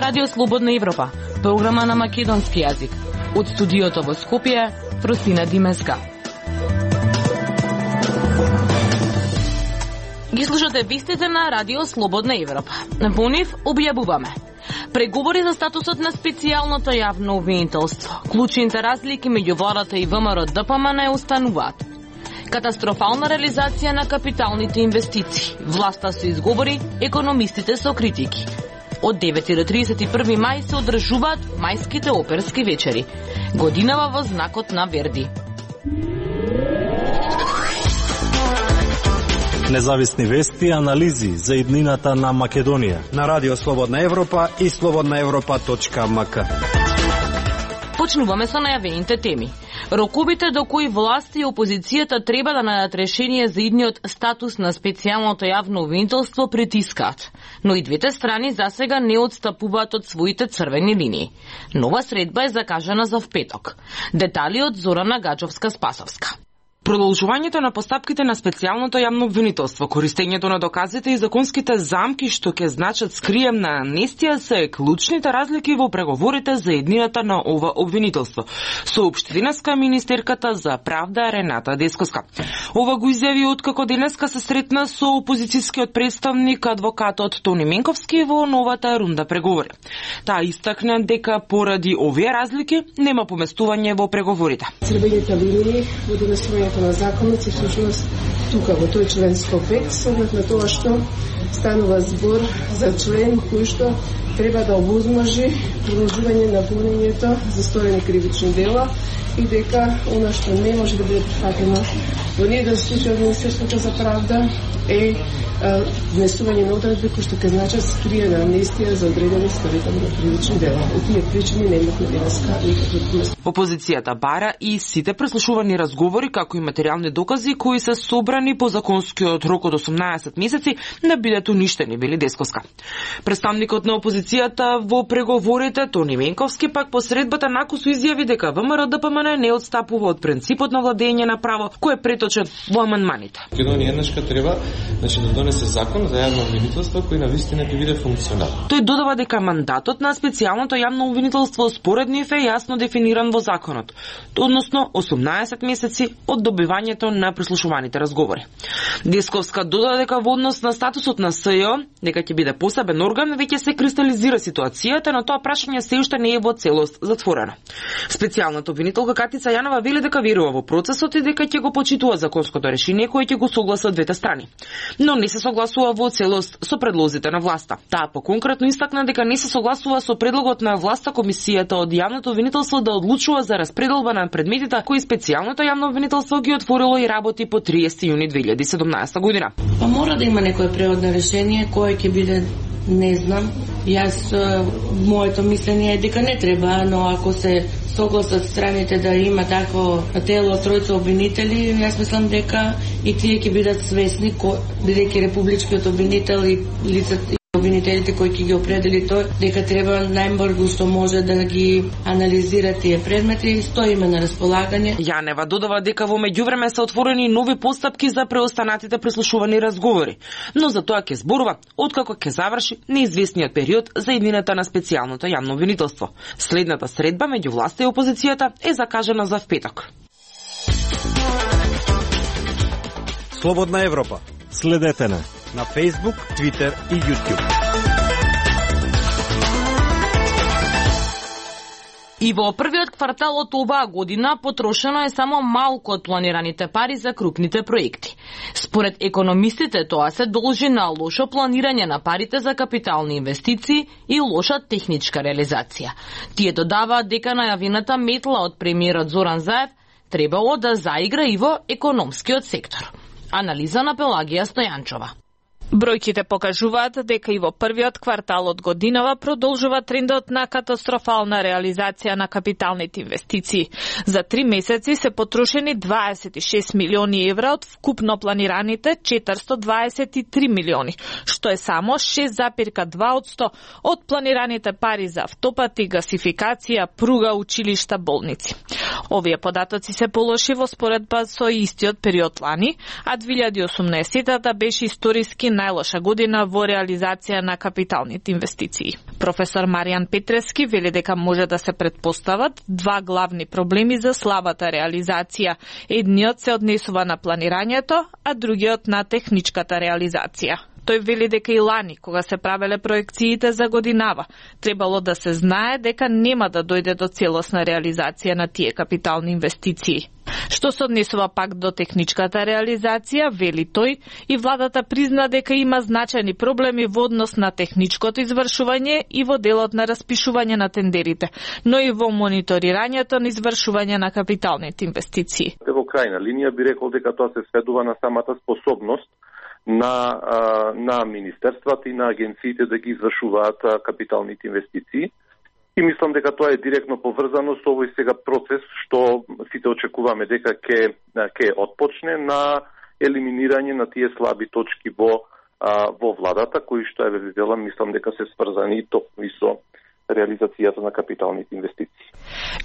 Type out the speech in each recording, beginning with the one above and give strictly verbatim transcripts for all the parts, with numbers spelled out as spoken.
Радио Слободна Европа, програма на македонски јазик. Од студиото во Скопје, Фросина Димеска. Ги слушате вестите на Радио Слободна Европа. По нив објавуваме преговори за статусот на специјалното јавно обвинителство. Клучните разлики меѓу владата и ВМРО Д П М Н остануваат. Катастрофална реализација на капиталните инвестиции. Власта се изговори, економистите со критики. Од девети до тридесет и први мај се одржуваат мајските оперски вечери. Годинава во знакот на Верди. Независни вести и анализи за иднината на Македонија на Радио Слободна Европа и слободна европа точка м к. Почнуваме со најавените теми. Роковите до кои власти и опозицијата треба да најдат решение за идниот статус на специјалното јавно обвинителство притискаат, но и двете страни засега не отстапуваат од своите црвени линии. Нова средба е закажана за впеток. Детали од Зорана Гаджовска-Спасовска. Продолжувањето на постапките на специјалното јавно обвинителство, користењето на доказите и законските замки што ќе значат скриемна амнестија се клучните разлики во преговорите за еднината на ова обвинителство, соопшти денеска министерката за правда Рената Десковска. Ова го изјави откако денеска се сретна со опозицијскиот представник адвокатот Тони Менковски во новата рунда преговори. Таа истакна дека поради овие разлики нема поместување во преговорите. Црвените линии во донесувањето на законот се всушност тука во тој член сто пет, со оглед на тоа што станува збор за член кој што треба да овозможи продолжување на гонењето за сторени кривични дела и дека она што не може да биде прифатено во ниеден случај од Министерството за правда е внесување на одредби кои што ќе значат скриена амнестија за одредени сторители на кривични дела. Од тие причини немавме денеска никакви поместувања. Опозицијата бара и сите преслушувани разговори, како и материјални докази кои се собрани по законскиот рок од осумнаесет месеци, да бидат уништени, вели Десковска. Представникот на опозицијата во преговорите Тони Менковски пак по средбата накусу изјави дека ВМРО Д П М Н не отстапува од принципот на владење на право кој е преточен во амандманите. Македонија еднашка треба, значи, да донесе закон за јавно обвинителство кој навистина ќе биде функционален. Тој додава дека мандатот на специјалното јавно обвинителство според нив е јасно дефиниран во законот, односно осумнаесет месеци од добивањето на прислушуваните разговори. Десковска додаде дека во однос на статусот на С Ј О, дека ќе биде посебен орган, веќе се кристализира ситуацијата, но тоа прашање се уште не е во целост затворено. Специјалната обвинителка Катица Јанова вели дека верува во процесот и дека ќе го почитува законското решение кое ќе го согласат двете страни, но не се согласува во целост со предлозите на власта. Таа поконкретно истакна дека не се согласува со предлогот на власта комисијата од јавното обвинителство да одлучува за распределба на предметите кои специјалното јавно обвинителство ги отворило и работи по триесети јуни две илјади и седумнаесета година. Па мора да има некое преводно решение кое ќе биде, не знам. Јас моето мислење е дека не треба, но ако се согласат страните да има такво тело тројца обвинители, јас мислам дека и тие ќе бидат свесни, бидејќи републичкиот обвинител и лицата обвинителите кои ќе ги определи тој, дека треба најбрзо што може да ги анализира тие предмети, стоиме на располагање. Јанева додава дека во меѓувреме се отворени нови постапки за преостанатите прислушувани разговори, но за тоа ќе зборува откако ќе заврши неизвестниот период за иднината на специјалното јавно обвинителство. Следната средба меѓу власта и опозицијата е закажана за впеток. Слободна Европа. Следете на на Facebook, Twitter и YouTube. И во првиот квартал од оваа година потрошено е само малку од планираните пари за крупните проекти. Според економистите тоа се должи на лошо планирање на парите за капитални инвестиции и лоша техничка реализација. Тие додаваат дека најавената метла од премиерот Зоран Заев требало да заигра и во економскиот сектор. Анализа на Пелагија Стојанчова. Бројките покажуваат дека и во првиот квартал од годинава продолжува трендот на катастрофална реализација на капиталните инвестиции. За три месеци се потрошени дваесет и шест милиони евра од вкупно планираните четиристо дваесет и три милиони, што е само шест запирка два одсто од планираните пари за автопати, гасификација, пруга, училишта, болници. Овие податоци се полоши во споредба со истиот период лани, а две илјади и осумнаесетата беше историски најлоша година во реализација на капиталните инвестиции. Професор Маријан Петрески вели дека може да се претпостават два главни проблеми за слабата реализација. Едниот се однесува на планирањето, а другиот на техничката реализација. Тој вели дека и лани, кога се правеле проекциите за годинава, требало да се знае дека нема да дојде до целосна реализација на тие капитални инвестиции. Што се однесува пак до техничката реализација, вели тој, и владата призна дека има значајни проблеми во однос на техничкото извршување и во делот на распишување на тендерите, но и во мониторирањето на извршување на капиталните инвестиции. Во крајна линија би рекол дека тоа се сведува на самата способност на, на министерствата и на агенциите да ги извршуваат капиталните инвестиции. И мислам дека тоа е директно поврзано со овој сега процес што сите очекуваме дека ќе ќе отпочне на елиминирање на тие слаби точки во во владата, кои што е велам, мислам дека се сврзани токму со реализацијата на капиталните инвестиции.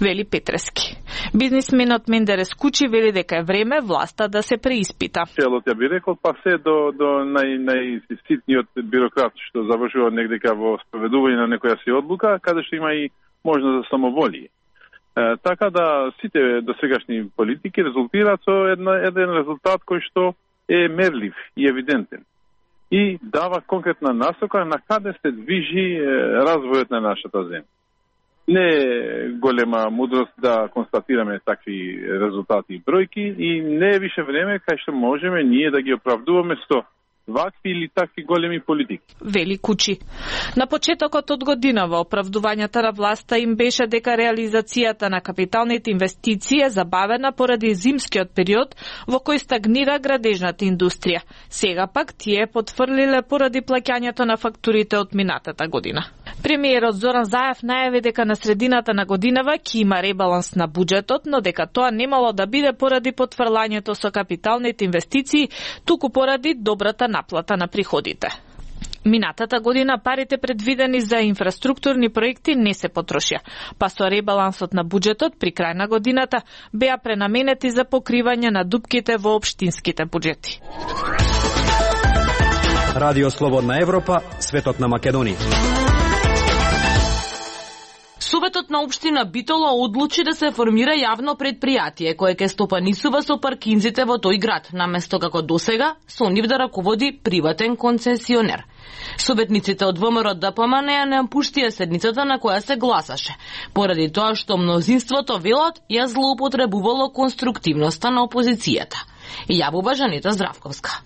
Вели Петрески. Бизнисменот Мендерес Кучи вели дека е време власта да се преиспита. Целот ја би рекол, па се до, до нај, најситниот бюрократ што завршува негдека во спроведување на некоја си одлука, каде што има и можност за самоволие. Е, така да сите досегашни политики резултираат со една, еден резултат кој што е мерлив и евидентен и дава конкретна насока на каде се движи е, развојот на нашата земја. Не е голема мудрост да констатираме такви резултати и бројки и не е више време кај што можеме ние да ги оправдуваме со вакви или такви големи политики. Вели Кучи. На почетокот од годинава оправдувањата на власта им беше дека реализацијата на капиталните инвестиции е забавена поради зимскиот период во кој стагнира градежната индустрија. Сега пак тие потврлиле поради плаќањето на фактурите од минатата година. Премиерот Зоран Заев најави дека на средината на годинава ќе има ребаланс на буџетот, но дека тоа немало да биде поради потврлањето со капиталните инвестиции, туку поради добрата наплата на приходите. Минатата година парите предвидени за инфраструктурни проекти не се потрошија, па со ребалансот на буџетот при крај на годината беа пренаменети за покривање на дупките во општинските буџети. Радио Слободна Европа, светот на Македонија. Советот на општина Битола одлучи да се формира јавно предпријатие кое ќе стопанисува со паркинзите во тој град, наместо како досега со нив да раководи приватен концесионер. Советниците од ВМРО Д П М Н ја не напуштија седницата на која се гласаше, поради тоа што мнозинството велат ја злоупотребувало конструктивноста на опозицијата. Јавува Жанета Здравковска.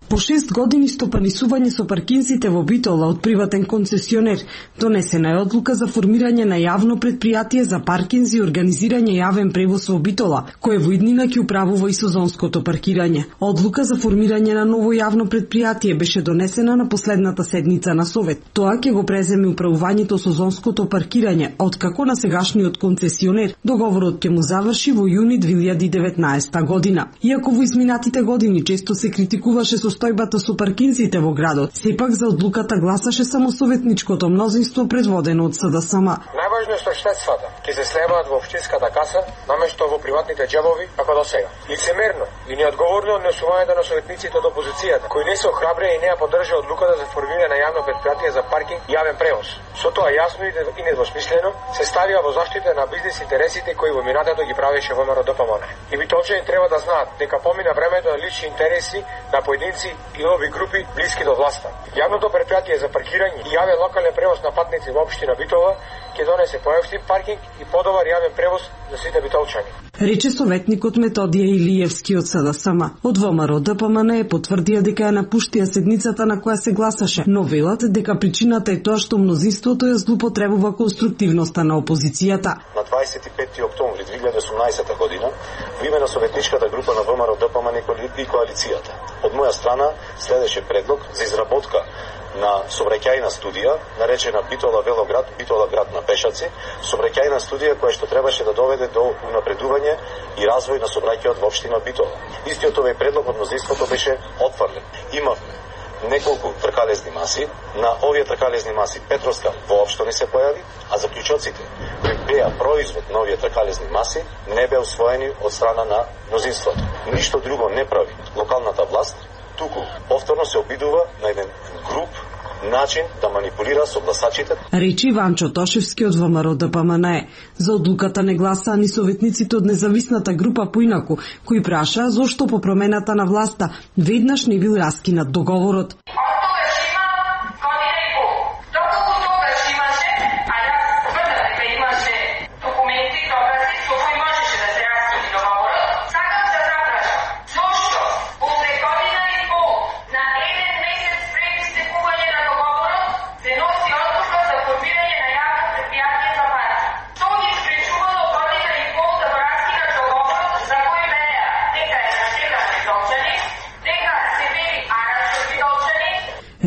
По шест години стопанисување со паркинзите во Битола од приватен концесионер, донесена е одлука за формирање на јавно предпријатие за паркинзи и организирање јавен превоз во Битола, кое во иднина ќе управува и сезонското паркирање. Одлука за формирање на ново јавно предпријатие беше донесена на последната седница на Совет. Тоа ќе го преземе управувањето сезонското паркирање, откако на сегашниот концесионер договорот ќе му заврши во јуни две илјади и деветнаесета година. Иако во изминатите години често се критикуваше со состојбата со паркинзите во градот, сепак за одлуката гласаше само советничкото мнозинство предводено од С Д С М. Најважно е што штетствата ќе се слеваат во општинската каса наместо во приватните џебови како до сега. Лицемерно и неодговорно однесувањето на советниците од опозицијата, кои не се охрабрија и не ја поддржа одлуката за формирање на јавно предпријатие за паркинг и јавен превоз. Со тоа јасно и недвосмислено се ставија во заштита на бизнис интересите кои во минатото ги правеше ВМРО Д П М Н. И битолчани треба да знаат дека помина времето на лични интереси на поединци и нови групи блиски до власта. Јавното предпријатие за паркирање и јавен локален превоз на патници во општина Битола ќе донесе поевтин паркинг и подобар јавен превоз за сите битолчани. Рече советникот Методија Илиевски од С Д С М. Од ВМРО Д П М Н потврдија дека ја напуштија седницата на која се гласаше, но велат дека причината е тоа што мнозинството ја злоупотребува конструктивноста на опозицијата. На дваесет и пети октомври две илјади и осумнаесета година во име на советничката група на ВМРО Д П М Н и коалицијата од моја страна следеше предлог за изработка на сообраќајна студија, наречена Битола велоград, Битола град на пешаци, сообраќајна студија која што требаше да доведе до унапредување и развој на сообраќајот во општина Битола. Истиот овој предлог од мнозинството беше отфрлен. Имавме неколку тркалезни маси, на овие тркалезни маси Петровска воопшто не се појави, а заклучоците кои беа производ на овие тркалезни маси не беа усвоени од страна на мнозинството. Ништо друго не прави локалната власт туку повторно се обидува на еден груб начин да манипулира со гласачите. Речи Ванчо Тошевски од ВМРО Д П М Н Е. За одлуката не гласаа ни советниците од независната група поинаку, кои прашаа зошто по промената на власта веднаш не бил раскинат договорот.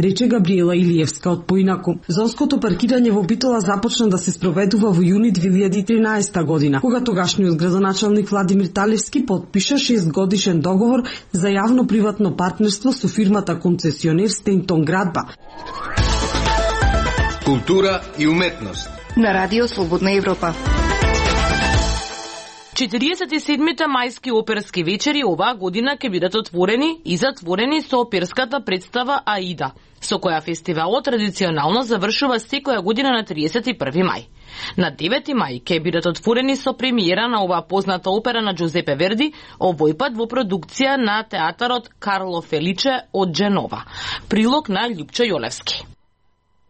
Рече Габриела Илиевска од поинаку. Зонското паркирање во Битола започна да се спроведува во јуни две илјади и тринаесетта година, кога тогашниот градоначалник Владимир Талевски потпиша шестгодишен договор за јавно-приватно партнерство со фирмата концесионер Стејнтон Градба. Култура и уметност на Радио Слободна Европа. четириесет и седмите мајски оперски вечери оваа година ќе бидат отворени и затворени со оперската представа Аида, со која фестивалот традиционално завршува секоја година на триесет и први мај. На девети мај ќе бидат отворени со премиера на оваа позната опера на Джузепе Верди, овој пат во продукција на театарот Карло Феличе од Дженова. Прилог на Љупчо Јолевски.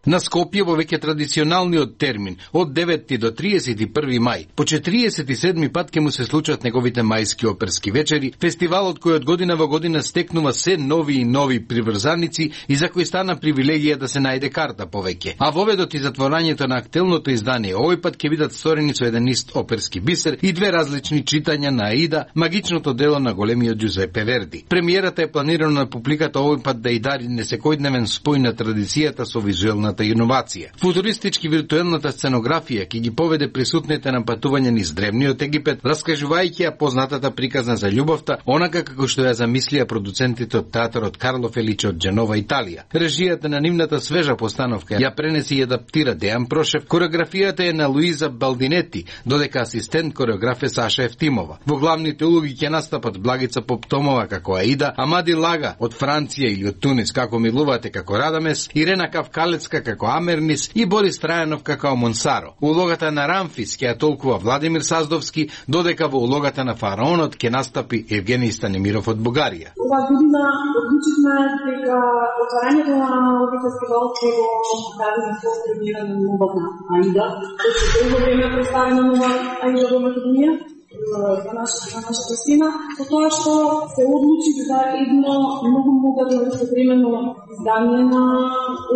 На Скопје во веќе традиционалниот термин од деветти до триесет и први мај, по четириесет и седми пат ќе му се случат неговите мајски оперски вечери, фестивалот кој од година во година стекнува се нови и нови приврзаници и за кој стана привилегија да се најде карта повеќе. А воведот и затворањето на актуелното издание овој пат ќе бидат сторени со еден ист оперски бисер и две различни читања на Аида, магичното дело на големиот Джузепе Верди. Премиерата е планирана на публиката овој пат да и дари несекојдневен спој на традицијата со визуелна иновација. Футуристички виртуелната сценографија ќе ги поведе присутните на патување низ древниот Египет, раскажувајќи ја познатата приказна за љубовта, онака како што ја замислија продуцентите од театарот Карло Феличе од Дженова, Италија. Режијата на нивната свежа постановка ја пренеси и адаптира Дејан Прошев, кореографијата е на Луиза Балдинети, додека асистент кореограф е Саша Ефтимова. Во главните улоги ќе настапат Благица Поптомова како Аида, Амади Лага од Франција или од Тунис како Милувате како Радамес, Ирена Кавкалецка како Амернис и Борис Трајанов како Монсаро. Улогата на Рамфис ќе ја толкува Владимир Саздовски, додека во улогата на фараонот ќе настапи Евгений Станимиров од Бугарија. Ова година одлучивме дека отварањето на овој фестивал ќе го направиме со премиера на новата Аида, кој се долго време представена нова Аида во Македонија. За нашата сина, со тоа што се одлучи за едно многу модерно современо издание на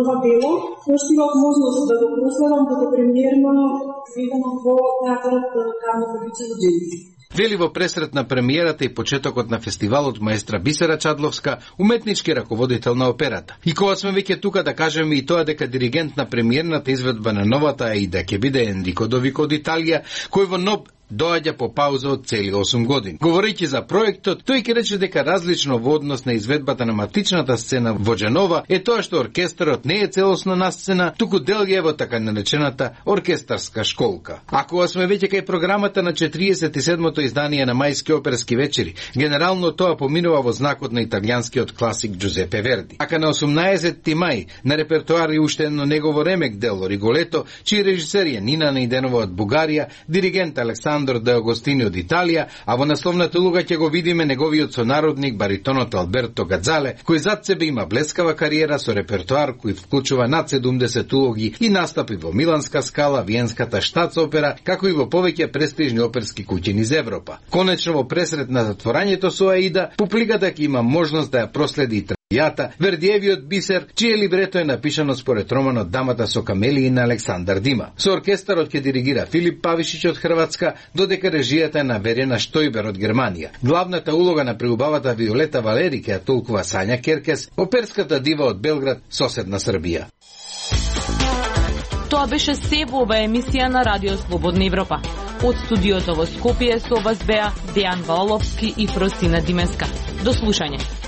ова дело, кој што имав можност да го проследам како премиерно сведено во театарот Карло Феличе во Дженова. Вели во пресрет на премиерата и почетокот на фестивалот маестра Бисера Чадловска, уметнички раководител на операта. И кога сме веќе тука да кажеме и тоа дека диригент на премиерната изведба на новата Аида ќе биде Енрико Довико од Италија, кој во НОБ доаѓа по пауза од цели осум години. Говорејќи за проектот, тој ќе рече дека различно во однос на изведбата на матичната сцена во Дженова е тоа што оркестарот не е целосно насцена, туку дел е во така наречената оркестарска школка. Ако сме веќе кај програмата на четириесет и седмото издание на мајски оперски вечери, генерално тоа поминува во знакот на италијанскиот класик Джузепе Верди. Ака на осумнаесетти мај на репертоар е уште едно негово ремек дело Риголето, чиј режисер е Нина Најденова од Бугарија, диригент Александр Де Агостини од Италија, а во насловната улога ќе го видиме неговиот сонародник баритонот Алберто Гадзале, кој зад себе има блескава кариера со репертоар кој вклучува над седумдесет улоги и настапи во Миланска Скала, Виенската Штатсопера, како и во повеќе престижни оперски куќи низ Европа. Конечно во пресрет на затворањето со Аида, публиката ќе има можност да ја проследи и Јата, Вердиевиот бисер, чие либрето е напишано според романот Дамата со камелии на Александар Дима. Со оркестарот ќе диригира Филип Павишич од Хрватска, додека режијата е на Верена Штојбер од Германија. Главната улога на преубавата Виолета Валери ќе ја толкува Сања Керкес, оперската дива од Белград, соседна Србија. Тоа беше се во оваа емисија на Радио Слободна Европа. Од студиото во Скопје со вас беа Дејан Валовски и Фросина Димеска. До слушање.